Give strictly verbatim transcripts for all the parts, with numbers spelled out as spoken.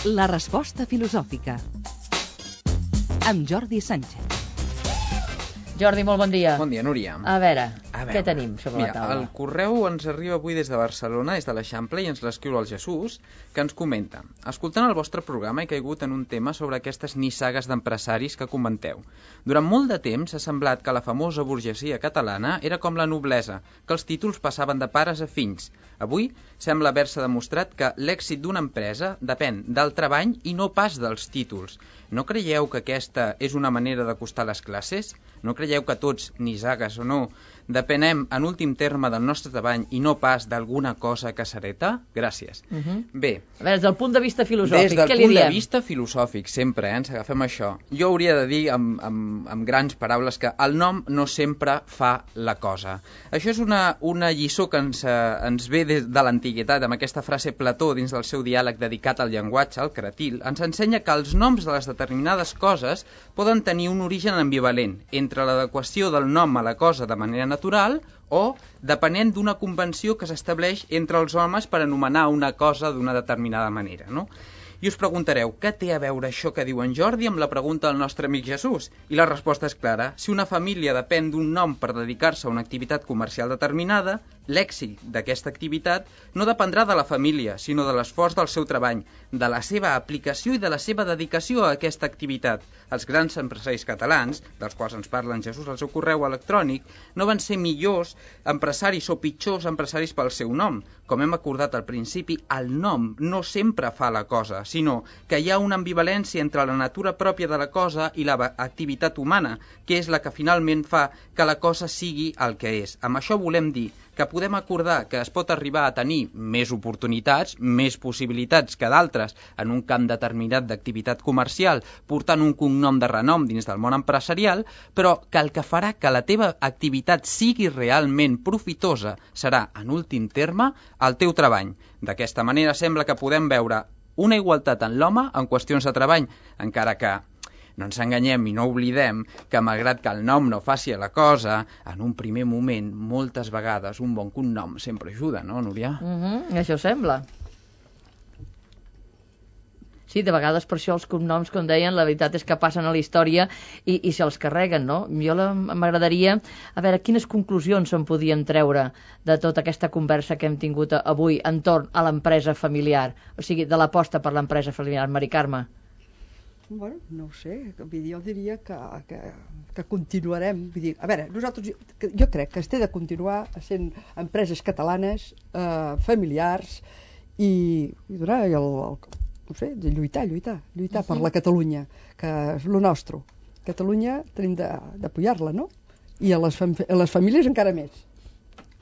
La resposta filosòfica. Amb Jordi Sánchez. Jordi, molt bon dia. Bon dia, Núria. A veure, A veure, què tenim sobre mira, la taula? El correu ens arriba avui des de Barcelona, des de l'Eixample, i ens l'escriu el Jesús, que ens comenta: escoltant el vostre programa he caigut en un tema sobre aquestes nissagues d'empresaris que comenteu. Durant molt de temps s'ha semblat que la famosa burgesia catalana era com la noblesa, que els títols passaven de pares a fills. Avui sembla haver-se demostrat que l'èxit d'una empresa depèn del treball i no pas dels títols. No creieu que aquesta és una manera d'acostar les classes? No creieu que tots, nissagues o no, depenem en últim terme del nostre treball i no pas d'alguna cosa que s'hereta? Gràcies. Uh -huh. Bé. A veure, des del punt de vista filosòfic, Des del què li punt diem? de vista filosòfic, sempre, eh, ens agafem això. Jo hauria de dir amb, amb, amb grans paraules que el nom no sempre fa la cosa. Això és una, una lliçó que ens, eh, ens ve des de l'antiguitat, amb aquesta frase Plató dins del seu diàleg dedicat al llenguatge, el Cratil, ens ensenya que els noms de les determinades coses poden tenir un origen ambivalent entre l'adequació del nom a la cosa de manera natural o depenent d'una convenció que s'estableix entre els homes per anomenar una cosa d'una determinada manera, no? I us preguntareu, què té a veure això que diu en Jordi amb la pregunta del nostre amic Jesús? I la resposta és clara. Si una família depèn d'un nom per dedicar-se a una activitat comercial determinada, l'èxit d'aquesta activitat no dependrà de la família, sinó de l'esforç del seu treball, de la seva aplicació i de la seva dedicació a aquesta activitat. Els grans empresaris catalans, dels quals ens parla en Jesús al seu correu electrònic, no van ser millors empresaris o pitjors empresaris pel seu nom. Com hem acordat al principi, el nom no sempre fa la cosa, sinó que hi ha una ambivalència entre la natura pròpia de la cosa i l'activitat humana, que és la que finalment fa que la cosa sigui el que és. Amb això volem dir que podem acordar que es pot arribar a tenir més oportunitats, més possibilitats que d'altres en un camp determinat d'activitat comercial, portant un cognom de renom dins del món empresarial, però que el que farà que la teva activitat sigui realment profitosa serà, en últim terme, el teu treball. D'aquesta manera sembla que podem veure una igualtat en l'home en qüestions de treball, encara que no ens enganyem i no oblidem que, malgrat que el nom no faci la cosa, en un primer moment, moltes vegades, un bon cognom sempre ajuda, no, Núria? Uh -huh, això sembla. Sí, de vegades per això els cognoms, com deien, la veritat és que passen a la història i, i se'ls carreguen, no? Jo m'agradaria, a veure, quines conclusions en podíem treure de tota aquesta conversa que hem tingut avui entorn a l'empresa familiar, o sigui, de l'aposta per l'empresa familiar. Mari Carme. Bueno, no ho sé, jo diria que, que, que continuarem. Vull dir, a veure, nosaltres, jo, jo crec que es té de continuar sent empreses catalanes, eh, familiars, i, i donar el, el, no sé, de lluitar, lluitar, lluitar uh -huh. per la Catalunya, que és lo nostre. Catalunya tenim d'apoyar-la, no? I a les, fam a les famílies encara més.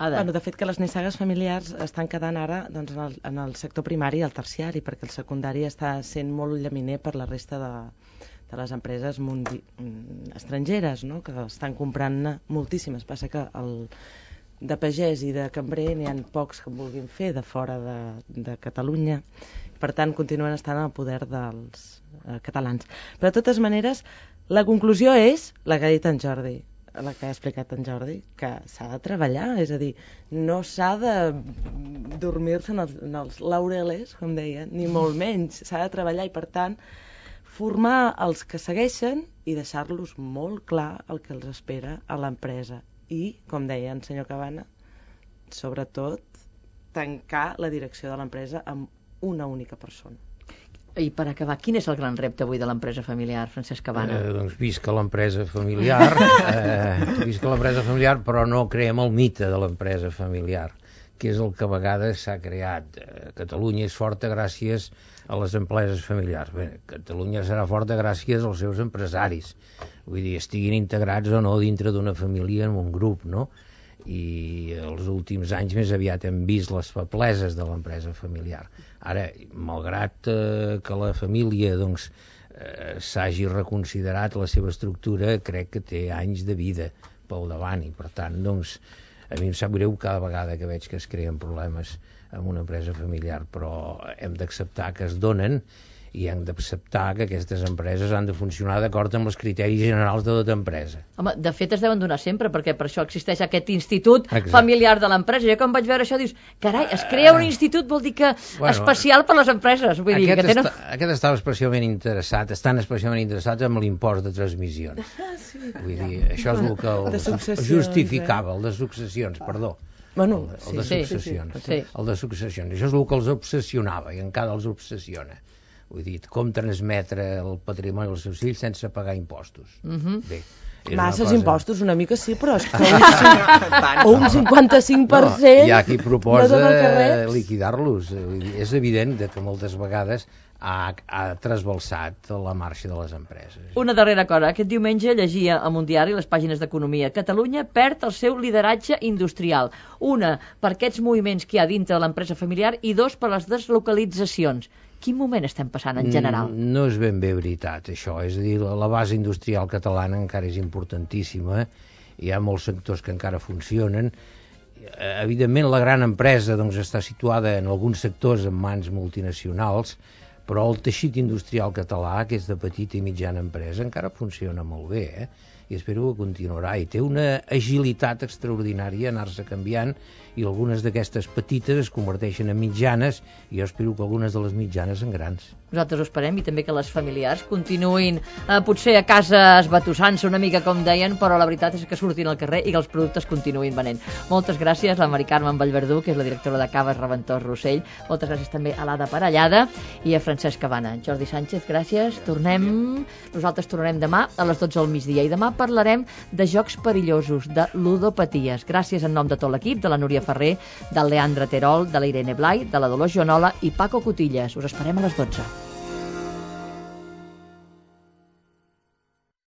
Bueno, de fet que les nissagues familiars estan quedant ara doncs, en, el, en el sector primari i el terciari, perquè el secundari està sent molt llaminer per la resta de, de les empreses mundi, estrangeres, no? Que estan comprant moltíssimes. Passa que el, de pagès i de cambrer n'hi ha pocs que en vulguin fer de fora de, de Catalunya. Per tant, continuen estant en el poder dels eh, catalans. Però de totes maneres, la conclusió és la que ha dit en Jordi, la que ha explicat en Jordi, que s'ha de treballar, és a dir, no s'ha de dormir-se en, en els laureles, com deien, ni molt menys, s'ha de treballar i, per tant, formar els que segueixen i deixar-los molt clar el que els espera a l'empresa. I, com deia el senyor Cabana, sobretot, tancar la direcció de l'empresa amb una única persona. I per acabar, quin és el gran repte avui de l'empresa familiar, Francesc Cabana? Eh, doncs visca l'empresa familiar, eh, visca l'empresa familiar, però no creem el mite de l'empresa familiar, que és el que a vegades s'ha creat. Eh, Catalunya és forta gràcies a les empreses familiars. Bé, Catalunya serà forta gràcies als seus empresaris, vull dir, estiguin integrats o no dintre d'una família en un grup, no? I els últims anys més aviat hem vist les febleses de l'empresa familiar. Ara, malgrat eh, que la família doncs, eh, s'hagi reconsiderat la seva estructura, crec que té anys de vida pel davant i per tant doncs, a mi em sap greu cada vegada que veig que es creen problemes en una empresa familiar, però hem d'acceptar que es donen i hem d'acceptar que aquestes empreses han de funcionar d'acord amb els criteris generals de tota empresa. Home, de fet es deuen donar sempre, perquè per això existeix aquest institut Exacte. familiar de l'empresa. Jo quan vaig veure això dius, carai, es crea un institut, vol dir que Bueno, especial per les empreses. Vull dir, Aquest, que tenen... està, aquest estava especialment interessat, estan especialment interessats amb l'impost de transmissions. Ah, sí. Vull dir, això és el que el, De successions, justificava, el de successions, perdó. Bueno, el, el sí. de Sí, successions. sí, sí. El de successions. Això és el que els obsessionava i encara els obsessiona. Vull dir, com transmetre el patrimoni als seus fills sense pagar impostos. Mhm. Bé, és una Masses cosa- impostos, una mica sí, però és que un, cinc, o un cinquanta-cinc per cent... No, hi ha qui proposa de tot el que reps. liquidar-los. Vull dir, és evident de que moltes vegades ha, ha trasbalsat la marxa de les empreses. Una darrera cosa. Aquest diumenge llegia en un diari les pàgines d'Economia. Catalunya perd el seu lideratge industrial. Una, per aquests moviments que hi ha dintre de l'empresa familiar i dos, per les deslocalitzacions. Quin moment estem passant en general? Mm, No és ben bé veritat, això. És a dir, la, la base industrial catalana encara és importantíssima. Hi ha molts sectors que encara funcionen. Eh, Evidentment, la gran empresa doncs, està situada en alguns sectors en mans multinacionals, però el teixit industrial català, que és de petita i mitjana empresa, encara funciona molt bé, eh? I espero que continuarà. I té una agilitat extraordinària a anar-se canviant, i algunes d'aquestes petites es converteixen en mitjanes, i jo espero que algunes de les mitjanes en grans. Nosaltres ho esperem, i també que les familiars continuïn eh, potser a casa esbatussant-se una mica, com deien, però la veritat és que surtin al carrer i que els productes continuïn venent. Moltes gràcies a la Mari Carmen Vallverdú, que és la directora de Caves Reventós Rossell. Moltes gràcies també a l'Ada Parellada i a Francesc Cabana. Jordi Sánchez, gràcies. Tornem... Nosaltres tornarem demà a les dotze del migdia, i demà parlarem de jocs perillosos, de ludopaties. Gràcies en nom de tot l'equip, de la Núria Ferrer, del Leandre Terol, de la Irene Blai, de la Dolors Joanola i Paco Cotillas. Us esperem a les dotze.